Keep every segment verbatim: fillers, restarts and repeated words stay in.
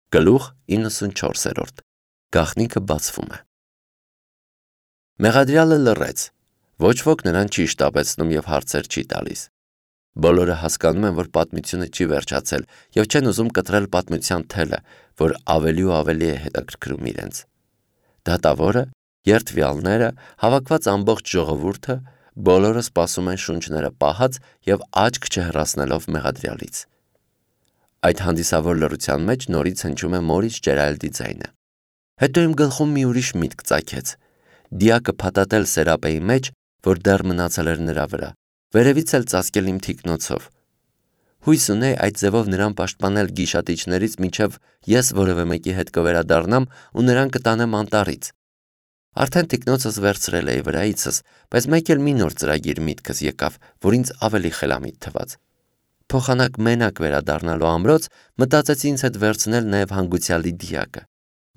Գլուխ իննսունչորսերորդ Գաղտնիքը բացվում է։ Մեղադրյալը լռեց, ոչ ոք նրան չի շտապեցնում և հարցեր չի տալիս։ Բոլորը հասկանում են, որ պատմությունը չի վերջացել և չեն ուզում կտրել պատմության թելը, որ ավելի ու ավելի է հետաքրքրում իրենց։ Դատավորը, երդվյալները, հավաքված ամբողջ ժողովուրդը, բոլորը սպասում են շունչները պահած և աչք չհեռացնելով մեղադրյալից։ Այդ հանդիսավոր լռության մեջ նորից հնչում է Մորիս Ջերալդի ձայնը։ Հետո իմ գլխում մի ուրիշ միտք ծագեց։ Դիակը փաթաթել սերապեի մեջ, որ դեռ մնացել էր նրա վրա, վերևից էլ ծածկել իմ թիկնոցով։ Հույս ունեի այդ ձևով նրան պաշտպանել գիշատիչներից, մինչև ես որևէ մեկի հետ կվերադառնամ ու նրան կտանեմ անտառից։ Արդեն թիկնոցս վերցրել էի վրայիցս, բայց մեկ էլ մի նոր ծրագիր միտքս եկավ, որ ինձ ավելի խելամիտ թվաց։ Փոխանակ մենակ վերադառնալու ամրոց մտածեցի ինձ հետ վերցնել նաև հանգուցյալի դիակը։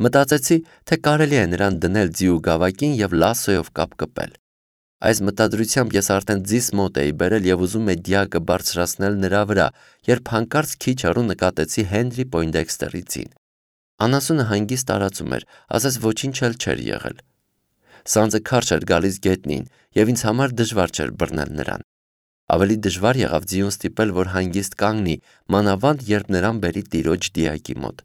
Մտածեցի, թե կարելի է նրան դնել ձի ու գավակին և լասոյով կապկպել։ Այս մտադրությամբ ես արդեն ձիս մոտ էի բերել և ուզում էի դիակը բարձրացնել նրա վրա, երբ հանկարծ քիչ հեռու նկատեցի Հենրի Պոյնդեքստերի ձին։ Անասունը հանգիստ տարածում էր, ասես ոչինչ էլ չէր եղել։ Սանձը քարշ էր գալիս գետնին, և ինձ համար դժվար չէր բռնել նրան։ Ավելի դժվար եղավ ձիուն ստիպել, որ հանգիստ կանգնի, մանավանդ երբ նրան բերի տիրոջ դիակի մոտ։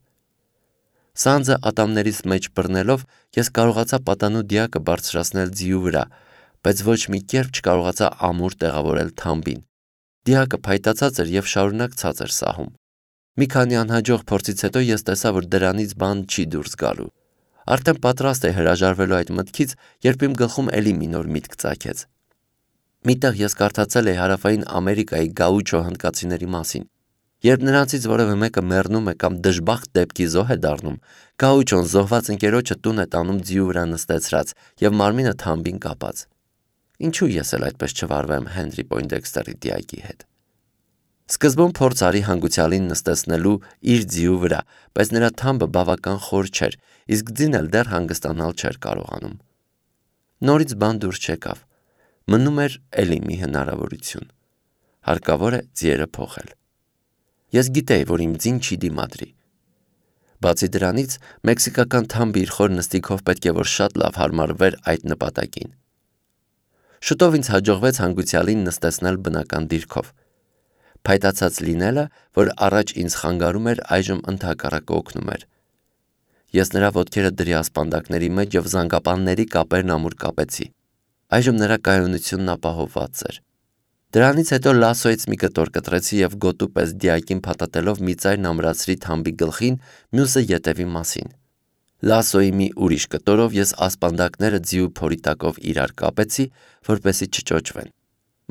Սանձը ատամներիս մեջ բռնելով, ես կարողացա պատանու դիակը բարձրացնել ձիու վրա, բայց ոչ մի կերպ չկարողացա ամուր տեղավորել թամբին։ Դիակը փայտացած էր և շարունակ ցած էր սահում։ Մի քանի անհաջող փորձից հետո ես տեսա, որ դրանից բան չի դուրս գալու։ Արդեն պատրաստ էի հրաժարվելու այդ մտքից, երբ իմ գլխում էլի մի նոր միտք ծագեց։ Միտեղ ես կարդացել էի Հարավային Ամերիկայի գաուչո հնդկացիների մասին։ Երբ նրանցից որևէ մեկը մեռնում է կամ դժբախտ դեպքի զոհ է դառնում, գաուչոն զոհված ընկերոջը տուն է տանում ձիու վրա նստեցրած և մարմինը թամբին կապած։ Ինչու ես էլ այդպես չվարվեմ Հենրի Պոյնդեքստերի դիակի հետ։ Սկզբում փորձ արի հանգուցյալին նստեցնելու իր ձիու վրա, բայց նրա թամբը բավական խոր չէր, իսկ ձին էլ դեռ հանգստանալ չէր կարողանում։ Նորից բան դուրս չեկավ։ Մնում էր էլի մի հնարավորություն։ Հարկավոր է ձիերը փոխել։ Ես գիտեի, որ իմ ձին չի դիմադրի։ Բացի դրանից, մեքսիկական թամբը իր խոր նստիքով պետք է որ շատ լավ հարմարվեր այդ նպատակին։ Շուտով ինձ հաջողվեց հանգուցյալին նստեցնել բնական դիրքով։ Փայտացած լինելը, որ առաջ ինձ խանգարում էր, այժմ ընդհակառակը օգնում էր։ Ես նրա ոտքերը դրի ասպանդակների մեջ և զանգապանների կապերն ամուր կապեցի։ Այժմ նրա կայունությունն ապահովված էր։ Դրանից հետո լասոյից մի կտոր կտրեցի և գոտու պես դիակին փաթաթելով մի ծայրն ամրացրի թամբի գլխին, մյուսը ետևի մասին։ Լասոյի մի ուրիշ կտորով ես ասպանդակները ձիու փորի տակով իրար կապեցի, որպեսզի չճոճվեն։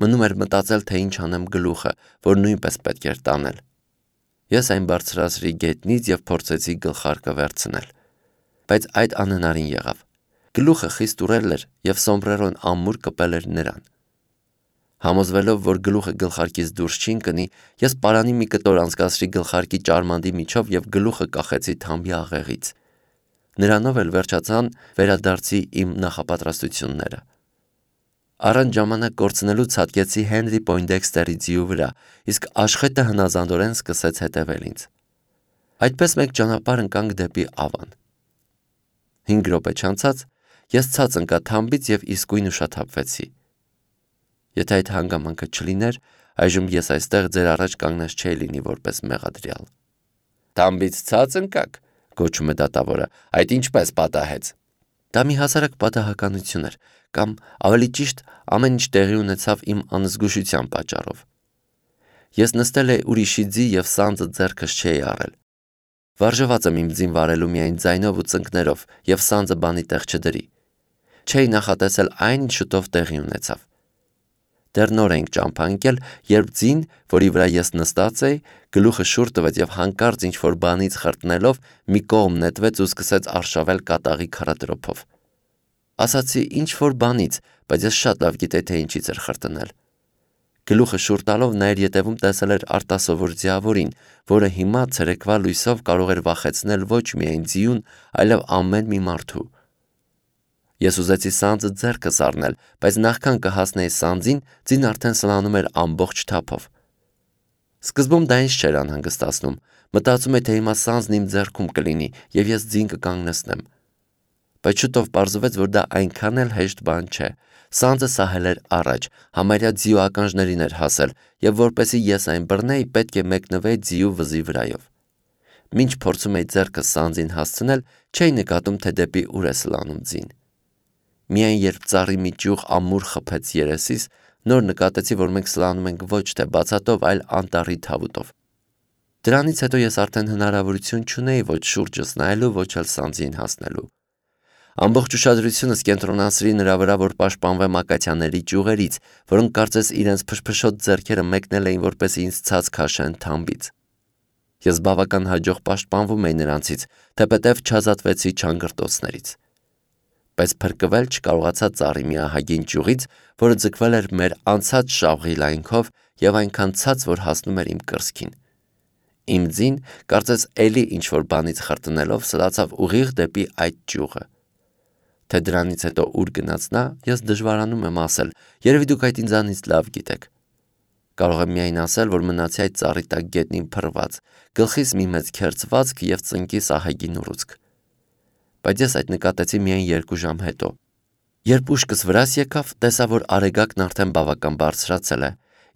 Մնում էր մտածել, թե ինչ անեմ գլուխը, որ նույնպես պետք էր տանել։ Ես այն բարձրացրի գետնից և փորձեցի գլխարկը վերցնել։ Բայց այդ անհնարին եղավ։ Գլուխը խիստ ուռել էր և սոմբրերոն ամուր կպել էր նրան։ Համոզվելով, որ գլուխը գլխարկից դուրս չի ընկնի, ես պարանի մի կտոր անցկացրի գլխարկի ճարմանդի միջով և գլուխը կախեցի թամբի աղեղից։ Նրանով էլ վերջացան վերադարձի իմ նախապատրաստությունները։ Առանց ժամանակ կորցնելու ցատկեցի Հենրի Պոյնդեքստերի ձիու վրա, իսկ աշխատը հնազանդորեն սկսեց հետևել ինձ։ Այդպես մեկ ճանապարհ ընկանք դեպի Ավան։ Հինգ րոպե չանցած ես ցած ընկա թամբից և իսկույն ուշաթափվեցի։ Եթե այդ հանգամանքը չլիներ, այժմ ես այստեղ ձեր առաջ կանգնած չէի լինի որպես մեղադրյալ։ Թամբից ցած ընկաք, գոչում է դատավորը, այդ ինչպես պատահեց։ Դա մի հասարակ պատահականություն էր, կամ ավելի ճիշտ, ամեն ինչ տեղի ունեցավ իմ անզգուշության պատճառով։ Ես նստել էի ուրիշի ձի և սանձը ձեռքս չէի առել։ Վարժված եմ իմ ձին վարելու միայն ձայնով ու ծնկներով և սանձը բանի տեղ չդրի։ Չէի նախատեսել այն, ինչ շուտով տեղի ունեցավ։ Դեռ նոր էինք ճամփա ընկել, երբ ձին, որի վրա ես նստած էի, գլուխը շուռ տվեց և հանկարծ ինչ-որ բանից խրտնելով մի կողմ նետվեց ու սկսեց արշավել կատաղի քարադրոփով։ Ասացի ինչ-որ բանից, բայց ես շատ լավ գիտեի, թե ինչից էր խրտնել։ Գլուխը շուռ տալով նա իր ետևում տեսել էր արտասովոր ձիավորին, որը հիմա ցերեկվա լույսով կարող էր վախեցնել ոչ միայն ձիուն, այլև ամեն մի մարդու։ Ես ուզեցի սանձը ձեռքս առնել, բայց նախքան կհասնեի սանձին, ձին արդեն սլանում էր ամբողջ թափով։ Սկզբում դա ինձ չէր անհանգստացնում, Մտածում է, թե հիմա սանձն իմ ձեռքում կլինի եւ ես ձին կկանգնեցնեմ։ Բայց շուտով պարզվեց, որ դա այնքան էլ հեշտ բան չէ։ Սանձը սահել էր առաջ, համարյա ձիու ականջներին էր հասել, եւ որպեսզի ես այն բռնեի, պետք է մեկնվեի ձիու վզի վրայով։ Մինչ փորձում էի ձեռքը սանձին հասցնել, չէի նկատում, թե դեպի ուր է սլանում ձին։ Միայն երբ ծառի մի ճյուղ ամուր խփեց երեսիս, նոր նկատեցի, որ մենք սլանում ենք ոչ թե բացատով, այլ անտառի թավուտով։ Դրանից հետո ես արդեն հնարավորություն չունեի ոչ շուրջս նայելու, ոչ էլ սանձին հասնելու։ Ամբողջ ուշադրությունս կենտրոնացրի նրա վրա, որ պաշտպանվեմ ակացիաների ճյուղերից, որոնք կարծես իրենց փշփշոտ ձեռքերը մեկնել էին, որպեսզի ինձ ցած քաշեն թամբից։ Ես բավական հաջող պաշտպանվում էի նրանցից, թեպետև չազատվեցի չանգրտոցներից։ Բայց փրկվել չկարողացա ծառի մի ահագին ճյուղից, որը ձգվել էր մեր անցած շավղի լայնքով եւ այնքան ցած, որ հասնում էր իմ կրծքին։ Իմ ձին, կարծես էլի ինչ-որ բանից խրտնելով, սլացավ ուղիղ դեպի այդ ճյուղը։ Թե դրանից հետո ուր գնաց նա, ես դժվարանում եմ ասել, երևի դուք այդ ինձանից լավ գիտեք։ Կարող եմ միայն ասել, որ մնացի այդ ծառի տակ գետնին փռված, գլխիս մի մեծ քերծվածք եւ ծնկիս ահագին ուռուցք։ Բայց ես այդ նկատեցի միայն երկու ժամ հետո։ Երբ ուշքս վրաս եկավ, տեսա, որ արեգակն արդեն բավական բարձրացել է,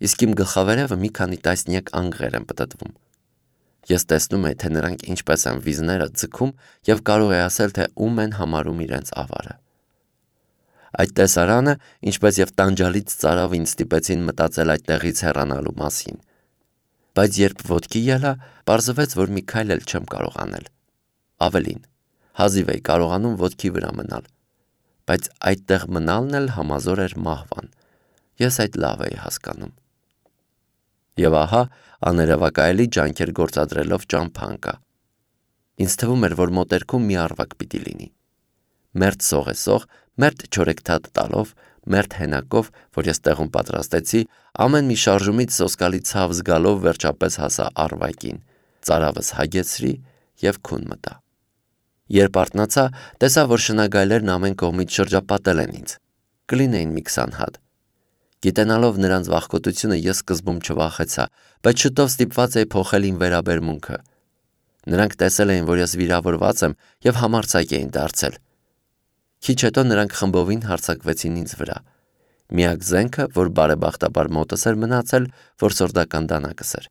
իսկ իմ գլխավերևը մի քանի տասնյակ անգղեր են պտտվում։ Ես տեսնում եի, թե նրանք ինչպես են վիզները ձգում եւ կարող եի ասել, թե ում են համարում իրենց ավարը։ Այդ տեսարանը, ինչպես եւ տանջալից ծարավ ինձ ստիպեցին մտածել այդտեղից հեռանալու մասին։ Բայց երբ ոտքի ելա, պարզվեց, որ մի քայլ էլ չեմ կարող անել։ Ավելին, հազիվ էի կարողանում ոտքի վրա մնալ, բայց այդտեղ մնալն էլ համազոր էր մահվան։ Ես այդ լավ էի հասկանում։ Եվ ահա, աներևակայելի ջանքեր գործադրելով ճամփա ընկա։ Ինձ թվում էր, որ մոտերքում մի առվակ պիտի լինի։ Մերթ սողեսող, մերթ չորեքթաթ տալով, մերթ հենակով, որ ես տեղում պատրաստեցի, ամեն մի շարժումից սոսկալի ցավ զգալով վերջապես հասա առվակին, ծարավս հագեցրի եւ քուն մտա։ Երբ արթնացա, տեսա, որ շնագայլերն ամեն կողմից շրջապատել են ինձ։ Կլինեին մի քսան հատ։ Գիտենալով նրանց վախկոտությունը ես սկզբում չվախեցա, բայց շուտով ստիպված էի փոխել իմ վերաբերմունքը։ Նրանք տեսել էին, որ ես վիրավորված եմ եւ համարձակ էին դարձել։ Քիչ հետո նրանք խմբովին հարձակվեցին ինձ վրա։ Միակ զենքը, որ բարեբախտաբար մոտս էր մնացել, որսորդական դանակս էր։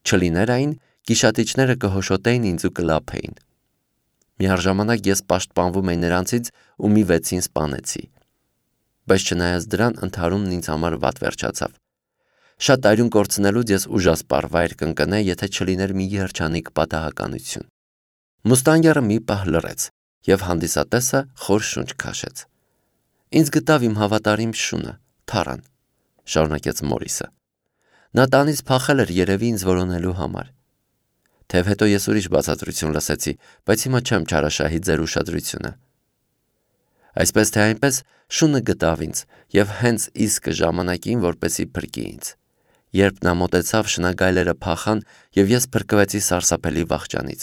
Չլիներ այն, գիշատիչները կհոշոտեին ինձ ու կլափեին։ Միառժամանակ ես պաշտպանվում էի նրանցից ու մի վեցին սպանեցի։ Բայց չնայած դրան, ընդհարումն ինձ համար վատ վերջացավ։ Շատ այրուն կորցնելուց ես ուժասպառ վայր կընկնեի, եթե չլիներ մի երջանիկ պատահականություն։ Մուստանգերը մի պահ լռեց, եւ հանդիսատեսը խոր շունչ քաշեց։ Ինձ գտավ իմ հավատարիմ շունը, Թարան, շարունակեց Մորիսը։ Նա տանից փախել էր երևի ինձ որոնելու համար։ Թեև հետո ես ուրիշ բացատրություն լսեցի, բայց հիմա չեմ չարաշահի ձեր ուշադրությունը։ Այսպես թե այնպես, շունը գտավ ինձ եւ հենց իսկ ժամանակին, որպեսի փրկի ինձ։ Երբ նա մոտեցավ, շնագայլերը փախան եւ ես փրկվեցի սարսափելի վախճանից։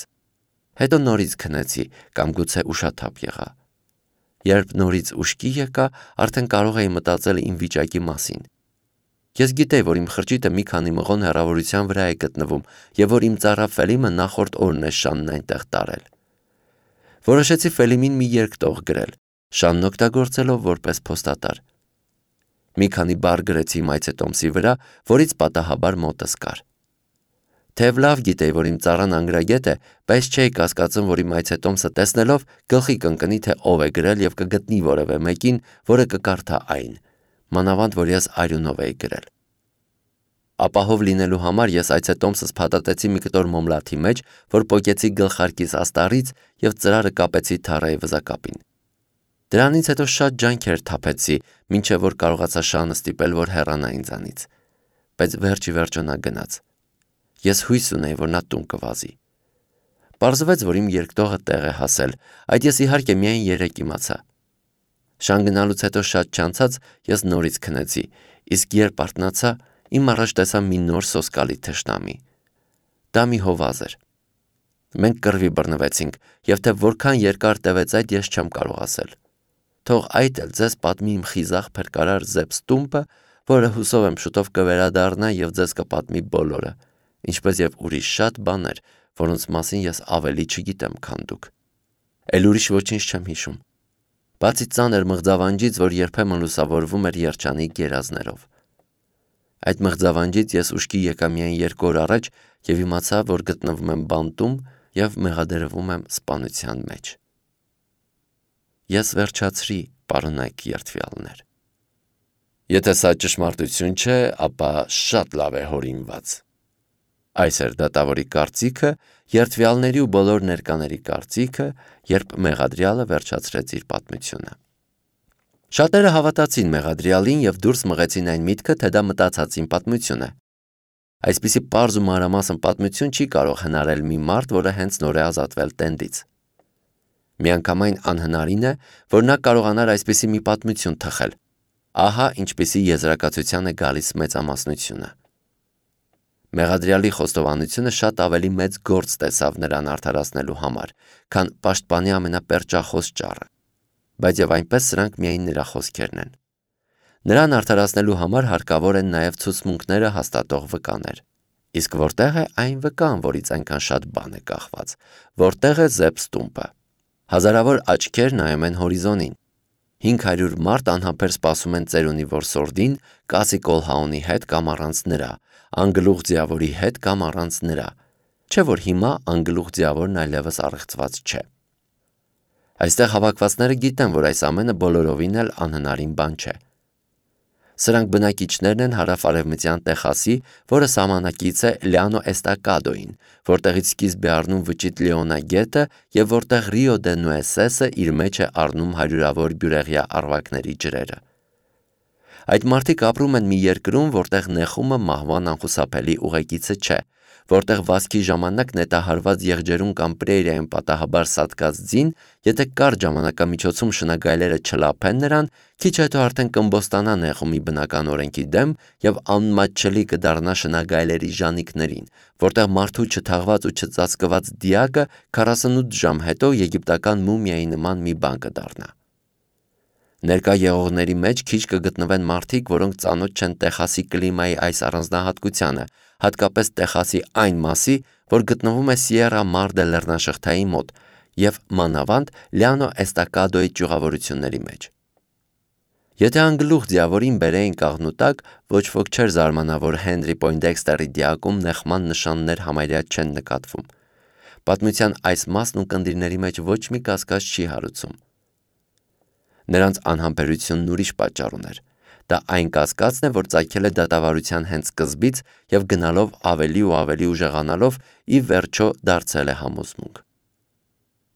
Հետո նորից քնեցի կամ գուցե ուշաթափ եղա։ Երբ նորից ուշքի եկա, արդեն կարող էի մտածել իմ վիճակի մասին։ Ես գիտեի, որ իմ խրճիթը մի քանի մղոն հեռավորության վրա է գտնվում եւ որ իմ ծառա Ֆելիմը նախորդ օրն է Շանն այնտեղ տարել։ Որոշեցի Ֆելիմին մի երկտող գրել, Շանն օգտագործելով որպես փոստատար։ Մի քանի բառ գրեցի իմ այցետոմսի վրա, որից պատահաբար մոտս կար։ Թեև լավ գիտեի, որ իմ ծառան անգրագետ է, բայց չէի կասկածում, որ իմ այցետոմսը տեսնելով գլխի կընկնի, թե ով է գրել եւ կգտնի որևէ մեկին, որը կկարդա այն, մանավանդ որ ես արյունով էի գրել։ Ապահով լինելու համար ես այցետոմսս փաթաթեցի մի կտոր մոմլաթի մեջ, որ պոկեցի գլխարկիս աստառից եւ ծրարը կապեցի Թարայի վզակապին։ Դրանից հետո շատ ջանքեր թափեցի, մինչև որ կարողացա Շանը ստիպել, որ հեռանա ինձանից։ Բայց վերջի վերջո նա գնաց։ Ես հույս ունեի, որ նա տուն կվազի։ Պարզվեց, որ իմ երկտողը տեղ է հասել, այդ ես իհարկե միայն երեկ իմացա։ Շան գնալուց հետո շատ չանցած ես նորից քնեցի, իսկ երբ արթնացա, իմ առաջ տեսա մի նոր սոսկալի թշնամի։ Դա մի հովազ էր։ Մենք կռվի բռնվեցինք, եւ թե որքան երկար տևեց այդ, ես չեմ կարող ասել։ Թող այդ էլ ձեզ պատմի իմ խիզախ փրկարար Զեփս Տումպը, որը հուսով եմ շուտով կվերադառնա եւ ձեզ կպատմի բոլորը, ինչպես եւ ուրիշ շատ բաներ, որոնց մասին ես ավելի չգիտեմ, քան դուք։ Էլ ուրիշ ոչինչ չեմ հիշում։ Բացի ծանր մղձավանջից, որ երբեմն լուսավորվում էր երջանիկ գերազներով։ Այդ մղձավանջից ես ուշքի եկա միայն երկու օր առաջ և իմացա, որ գտնվում եմ բանտում և մեղադրվում եմ սպանության մեջ։ Ես վերջացրի, պարոնայք երդվյալներ։ Եթե սա ճշմարտություն չէ, ապա շատ լավ է հորինված։ Այս էր դատավորի կարծիքը, երդվյալների ու բոլոր ներկաների կարծիքը, երբ մեղադրյալը վերջացրեց իր պատմությունը։ Շատերը հավատացին մեղադրյալին և դուրս մղեցին այն միտքը, թե դա մտածածին պատմություն է։ Այսպիսի պարզ ու մանրամասն պատմություն չի կարող հնարել մի մարդ, որը հենց նոր է ազատվել տենդից։ Միանգամայն անհնարին է, որ նա կարողանար այսպիսի մի պատմություն թխել։ Ահա ինչպիսի եզրակացության է գալիս մեծամասնությունը։ Մեղադրյալի խոստովանությունը շատ ավելի մեծ գործ տեսավ նրան արդարացնելու համար, քան պաշտպանի ամենապերճախոս ճառը, բայց և այնպես սրանք միայն նրա խոսքերն են։ Նրան արդարացնելու համար հարկավոր են նաև ցուցմունքները հաստատող վկաներ։ Իսկ որտեղ է այն վկան, որից այնքան շատ բան է կախված, որտեղ է Զեփս տումբը։ Հազարավոր աչքեր նայում են հորիզոնին։ Հինգ հարյուր մարդ անհամբեր սպասում են ծերունի որսորդին, Կասի Կոլհաունի հետ կամ առանց նրա, անգլուղ ձիավորի հետ կամ առանց նրա, չէ որ հիմա անգլուղ ձիավորն այլևս առեղծված չէ։ Այստեղ հավաքվածները գիտեն, որ այս ամենը բոլորովին էլ անհնարին բան չէ։ Սրանք բնակիչներն են հարավ-արևմտյան Տեխասի, որը սահմանակից է Լիանո Էստակադոին, որտեղից սկիզբ է առնում վճիտ Լեոնա գետը և որտեղ Ռիո դե Նուեսեսը իր մեջ է առնում հարյուրավոր բյուրեղյա առվակների ջրերը։ Այդ մարդիկ ապրում են մի երկրում, որտեղ նեխումը մահվան անխուսափելի ուղեկիցը չէ, որտեղ վազքի ժամանակ նետահարված եղջերուն կամ պրերիայում պատահաբար սատկած ձին, եթե կարճ ժամանակամիջոցում շնագայլերը չլափեն նրան, քիչ հետո արդեն կըմբոստանա նեխումի բնական օրենքի դեմ և անմատչելի կդառնա շնագայլերի ժանիքներին, որտեղ մարդու չթաղված ու չծածկված դիակը քառասունութ ժամ հետո եգիպտական մումիայի նման մի բան կդառնա։ Ներկա եղողների մեջ քիչ կգտնվեն մարդիկ, որոնք ծանոթ չեն Տեխասի կլիմայի այս առանձնահատկությանը, հատկապես Տեխասի այն մասի, որ գտնվում է Սիերա Մարդե լեռնաշղթայի մոտ և մանավանդ Լիանո Էստակադոյի ճյուղավորությունների մեջ։ Եթե անգլուղ ձիավորին բերեին կաղնու տակ, ոչ ոք չէր զարմանա, որ Հենրի Պոյնդեքստերի դիակում նեխման նշաններ համարյա չեն նկատվում։ Պատմության այս մասն ունկնդիրների մեջ ոչ մի կասկած չի հարուցում։ Նրանց անհամբերությունն ուրիշ պատճառ ուներ։ Դա այն կասկածն է, որ ծագել է դատավարության հենց սկզբից և գնալով ավելի ու ավելի ուժեղանալով ի վերջո դարձել է համոզմունք։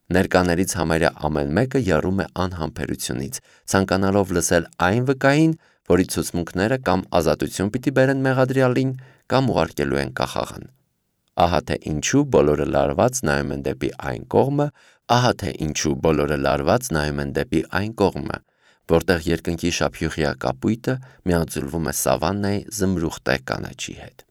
Ներկաներից համարյա ամեն մեկը եռում է անհամբերությունից, ցանկանալով լսել այն վկային, որի ցուցմունքները կամ ազատություն պիտի բերեն մեղադրյալին, կամ ուղարկելու են կախաղան։ Ահա թե ինչու բոլորը լարված նայում են դեպի այն կողմը, ահա թե ինչու բոլորը լարված նայում են դեպի այն կողմը, որտեղ երկնքի շափյուղյա կապույտը միաձուլվում է սավաննայի զմրուխտե կանաչի հետ։